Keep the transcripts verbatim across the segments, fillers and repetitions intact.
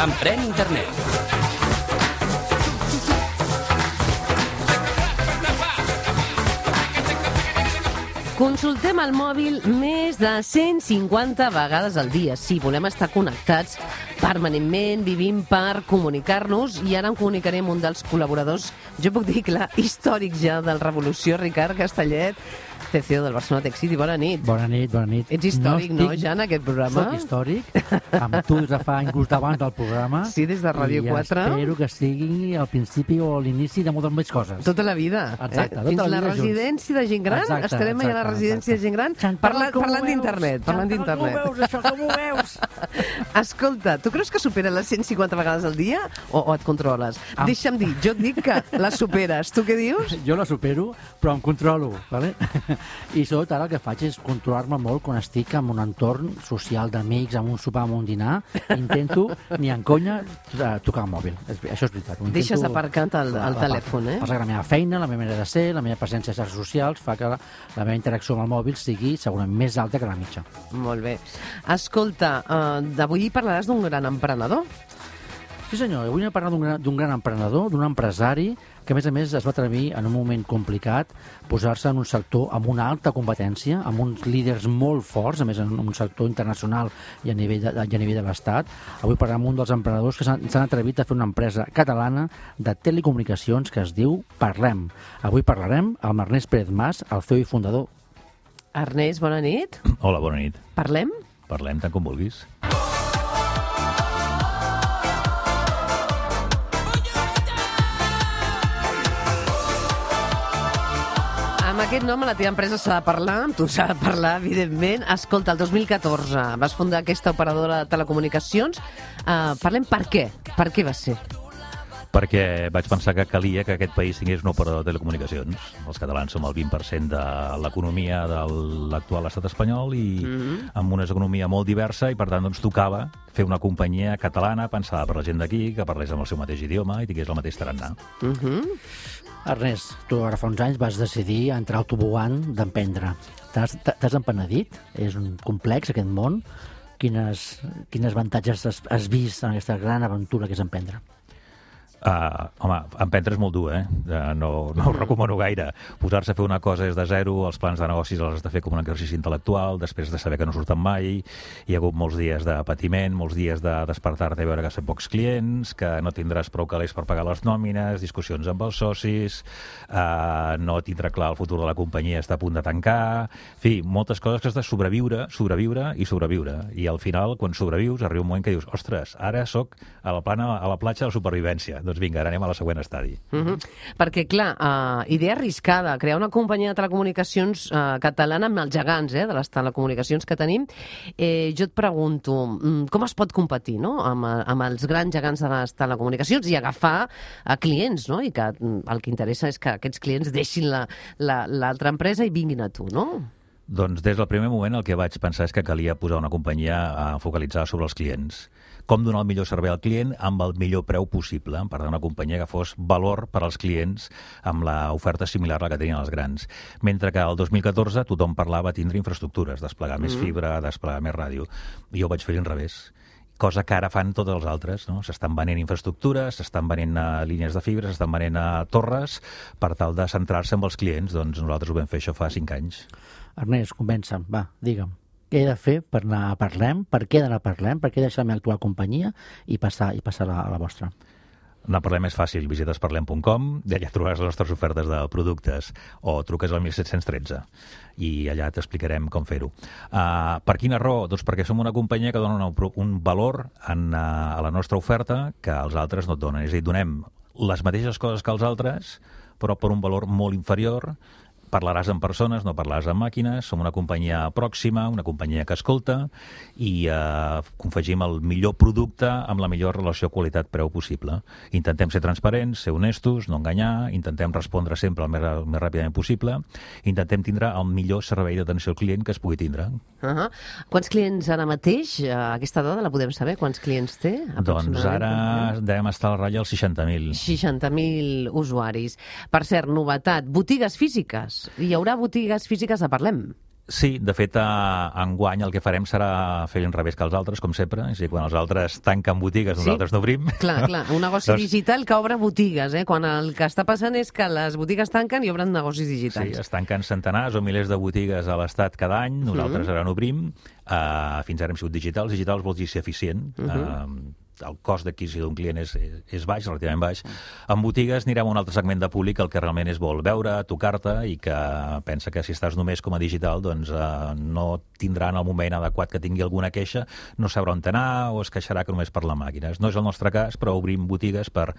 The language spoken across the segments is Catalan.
Emprèn internet. Consultem el mòbil més de cent cinquanta vegades al dia. Sí, volem estar connectats permanentment, vivim per comunicar-nos, i ara em comunicaré amb un dels col·laboradors, jo puc dir, clar, històric ja del Revolució, Ricard Castellet, C C O del Barcelona Tech City. Bona nit. Bona nit, bona nit. Ets històric, no, estic... no, ja, en aquest programa? Soc històric, amb tu des de fa inclús d'abans del programa. Sí, des de Ràdio quatre. I espero que sigui el principi o l'inici de moltes més coses. Tota la vida. Exacte, eh? tota Fins la vida la residència de gent gran. Exacte, Estarem exacte, allà a la residència exacte. de gent gran Chantal, parlant, parlant d'internet. Parlant d'internet. Com ho veus, això, com ho veus? Escolta, tu creus que supera les cent cinquanta vegades al dia o, o et controles? Am... Deixa'm dir, jo et dic que la superes. Tu què dius? Jo la supero, però em controlo, ¿vale? I sobretot ara el que faig és controlar-me molt quan estic en un entorn social d'amics, en un sopar, en un dinar. Intento, ni en conya, tocar el mòbil. Això és veritat. Intento... Deixes aparcat el, el telèfon, eh? Passa que la meva feina, la meva manera de ser, la meva presència a xarxes socials fa que la, la meva interacció amb el mòbil sigui segurament més alta que la mitja. Molt bé. Escolta, uh, d'avui parlaràs d'un gran emprenedor. Sí, senyor. Avui hem parlat d'un gran, d'un gran emprenedor, d'un empresari que, a més a més, es va atrevir en un moment complicat posar-se en un sector amb una alta competència, amb uns líders molt forts, a més en un sector internacional i a nivell de, i a nivell de l'Estat. Avui parlarem amb un dels emprenedors que s'han atrevit a fer una empresa catalana de telecomunicacions que es diu Parlem. Avui parlarem amb Ernest Pérez Mas, el C E O i fundador. Ernest, bona nit. Hola, bona nit. Parlem? Parlem tant com vulguis. Amb aquest nom a la teva empresa s'ha de parlar, amb tu s'ha de parlar, evidentment. Escolta, el dos mil catorze vas fundar aquesta operadora de telecomunicacions. Uh, parlem per què? Per què va ser? Perquè vaig pensar que calia que aquest país tingués un operador de telecomunicacions. Els catalans som el vint per cent de l'economia de l'actual estat espanyol i mm-hmm. amb una economia molt diversa, i per tant doncs, tocava fer una companyia catalana pensada per la gent d'aquí, que parlés amb el seu mateix idioma i tingués el mateix tarannà. Mm-hmm. Ernest, tu ara fa uns anys vas decidir entrar al tobogan d'emprendre. T'has empenedit? És un complex aquest món. Quines, quines avantatges has, has vist en aquesta gran aventura que és emprendre? Uh, home, emprendre és molt dur, eh? Uh, no, no ho recomano gaire. Posar-se a fer una cosa des de zero, els plans de negocis els has de fer com un exercici intel·lectual, després de saber que no surten mai, hi ha hagut molts dies de patiment, molts dies de despertar-te i veure que són pocs clients, que no tindràs prou calés per pagar les nòmines, discussions amb els socis, uh, no tindrà clar el futur de la companyia, està a punt de tancar... En fi, moltes coses que has de sobreviure, sobreviure i sobreviure. I al final, quan sobrevius, arriba un moment que dius, ostres, ara sóc a la, plana, a la platja de la supervivència. Doncs vinga, ara anem a la següent estadi. Uh-huh. Perquè, clar, uh, idea arriscada, crear una companyia de telecomunicacions uh, catalana amb els gegants eh, de les telecomunicacions que tenim. Eh, jo et pregunto, com es pot competir no? amb, amb els grans gegants de les telecomunicacions i agafar a clients, no? I que el que interessa és que aquests clients deixin l'altra la, la, empresa i vinguin a tu, no? Doncs des del primer moment el que vaig pensar és que calia posar una companyia uh, focalitzada sobre els clients. Com donar el millor servei al client amb el millor preu possible. Per tant, una companyia que fos valor per als clients amb l'oferta similar a la que tenien els grans. Mentre que el dos mil catorze tothom parlava de tindre infraestructures, desplegar mm. més fibra, desplegar més ràdio. I jo ho vaig fer a l'inrevés. Cosa que ara fan tots els altres, no? S'estan venent infraestructures, s'estan venent a línies de fibra, s'estan venent a torres, per tal de centrar-se en els clients. Doncs nosaltres ho vam fer això fa cinc anys. Ernest, convença'm, va, digue'm. Què he de fer per anar a Parlem? Per què d'anar a Parlem? Per què deixar la meva actual companyia i passar, i passar a, la, a la vostra? Anar a Parlem és fàcil. Visites parlem punt com, allà trobaràs les nostres ofertes de productes, o truques al disset tretze i allà t'explicarem com fer-ho. Uh, per quina raó? Doncs perquè som una companyia que dona una, un valor en, uh, a la nostra oferta que els altres no et donen. És a dir, donem les mateixes coses que els altres, però per un valor molt inferior. Parlaràs amb persones, no parlaràs amb màquines, som una companyia pròxima, una companyia que escolta i eh, confegim el millor producte amb la millor relació qualitat-preu possible. Intentem ser transparents, ser honestos, no enganyar, intentem respondre sempre el més, el més ràpidament possible, intentem tindre el millor servei d'atenció al client que es pugui tindre. Uh-huh. Quants clients ara mateix? Aquesta dada la podem saber? Quants clients té? Doncs ara devem estar a la ratlla als seixanta mil. seixanta mil usuaris. Per cert, novetat, botigues físiques. Hi haurà botigues físiques a Parlem? Sí, de fet, a, enguany el que farem serà fer l'inrevés que els altres, com sempre. És a dir, quan els altres tanquen botigues, Sí. nosaltres n'obrim. Clar, clar, un negoci Doncs- digital que obre botigues, eh? Quan el que està passant és que les botigues tanquen i obren negocis Sí, digitals. es tanquen centenars o milers de botigues a l'Estat cada any, nosaltres Mhm. ara n'obrim. Uh, fins ara hem sigut digitals. Digitals vol dir ser eficient. Mhm. Uh, el cost d'adquisició d'un client és, és baix, relativament baix. En botigues anirem a un altre segment de públic el que realment és vol veure, tocar-te i que pensa que si estàs només com a digital doncs uh, no tindrà en el moment adequat que tingui alguna queixa, no sabrà on anar o es queixarà que només per la màquina. No és el nostre cas, però obrim botigues per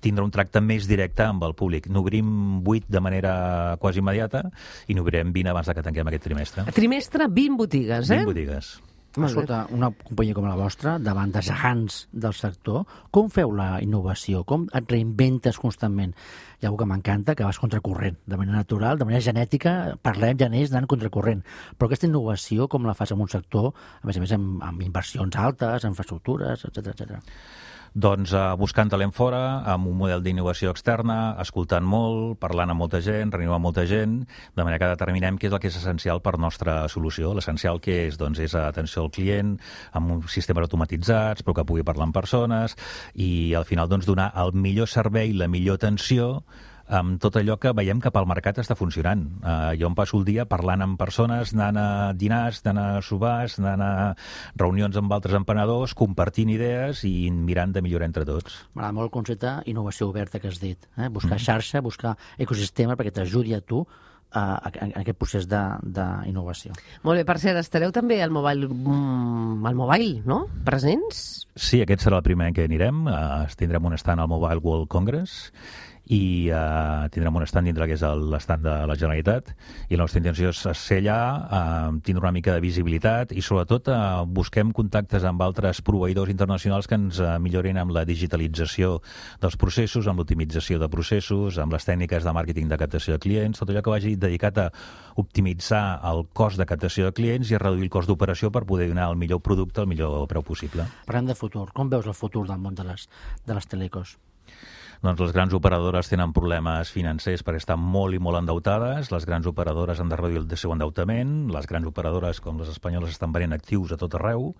tindre un tracte més directe amb el públic. N'obrim vuit de manera quasi immediata i n'obrirem vint abans de que tanquem aquest trimestre. Trimestre, vint botigues, eh? vint botigues. Molt bé. Escolta, una companyia com la vostra, davant de gegants del sector, com feu la innovació? Com et reinventes constantment? Hi ha algú que m'encanta, que vas contracorrent, de manera natural, de manera genètica, parlem ja n'és anant contracorrent. Però aquesta innovació, com la fas en un sector, a més a més amb, amb inversions altes, infraestructures, etcètera, etcètera. Doncs uh, buscant talent fora, amb un model d'innovació externa, escoltant molt, parlant amb molta gent, reunint amb molta gent, de manera que determinem què és el que és essencial per nostra solució. L'essencial que és, doncs, és atenció al client, amb uns sistemes automatitzats, però que pugui parlar amb persones, i al final doncs, donar el millor servei, la millor atenció, amb tot allò que veiem que pel mercat està funcionant. Uh, jo em passo el dia parlant amb persones, anant a dinars, anant a sopars, anant a reunions amb altres emprenedors, compartint idees i mirant de millorar entre tots. M'agrada molt el concepte innovació oberta que has dit. Eh? Buscar xarxa, buscar ecosistema perquè t'ajudi a tu a, a, a aquest procés d'innovació. Molt bé, per cert, estareu també al Mobile, mm, al mobile, no? Presents? Sí, aquest serà el primer en què anirem. Uh, tindrem un stand al Mobile World Congress i uh, tindrem un stand dintre que és l'esstand de la Generalitat i la nostra intenció és ser allà, uh, tindre una mica de visibilitat i sobretot uh, busquem contactes amb altres proveïdors internacionals que ens uh, millorin amb la digitalització dels processos, amb l'optimització de processos, amb les tècniques de màrqueting de captació de clients, tot allò que vagi dedicat a optimitzar el cost de captació de clients i a reduir el cost d'operació per poder donar el millor producte al millor preu possible. Parlem de futur. Com veus el futur del món de les, de les telecos? Doncs les grans operadores tenen problemes financers perquè estan molt i molt endeutades, les grans operadores han de reduir el seu endeutament, les grans operadores com les espanyoles estan venent actius a tot arreu,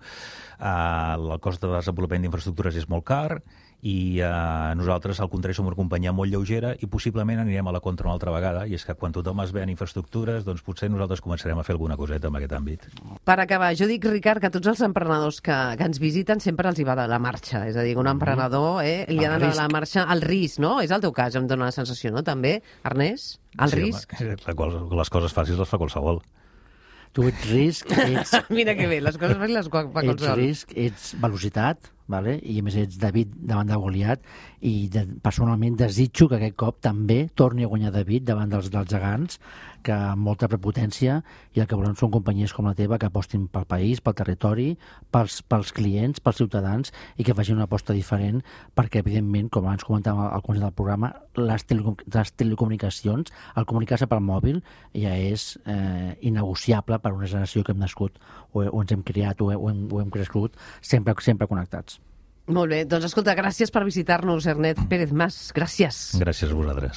uh, el cost de desenvolupament d'infraestructures és molt car i uh, nosaltres al contrari som una companyia molt lleugera i possiblement anirem a la contra una altra vegada i és que quan tothom es ven infraestructures doncs potser nosaltres començarem a fer alguna coseta en aquest àmbit. Per acabar, jo dic, Ricard, que tots els emprenedors que, que ens visiten sempre els hi va de la marxa. És a dir, un emprenedor eh, li ha El d'anar risc. de la marxa al risc, no? És el teu cas, em dóna la sensació, no? També, Ernest? El Sí, risc? home, la qual, les coses fàcils les fa qualsevol. Tu ets risc, ets, Mira que bé, les coses fàcils les fa ets qualsevol. risc, ets velocitat, vale? I a més ets David davant de Goliat i de, personalment desitjo que aquest cop també torni a guanyar David davant dels, dels gegants, que amb molta prepotència i el que volem són companyies com la teva que apostin pel país, pel territori, pels, pels clients, pels ciutadans i que facin una aposta diferent perquè, evidentment, com abans comentàvem al començament del programa, les, telecom les telecomunicacions, el comunicar-se pel mòbil ja és eh, innegociable per una generació que hem nascut o, o ens hem criat o, o, hem, o hem crescut sempre, sempre connectats. Molt bé, doncs escolta, gràcies per visitar-nos, Ernest Pérez Mas. Gràcies. Gràcies a vosaltres.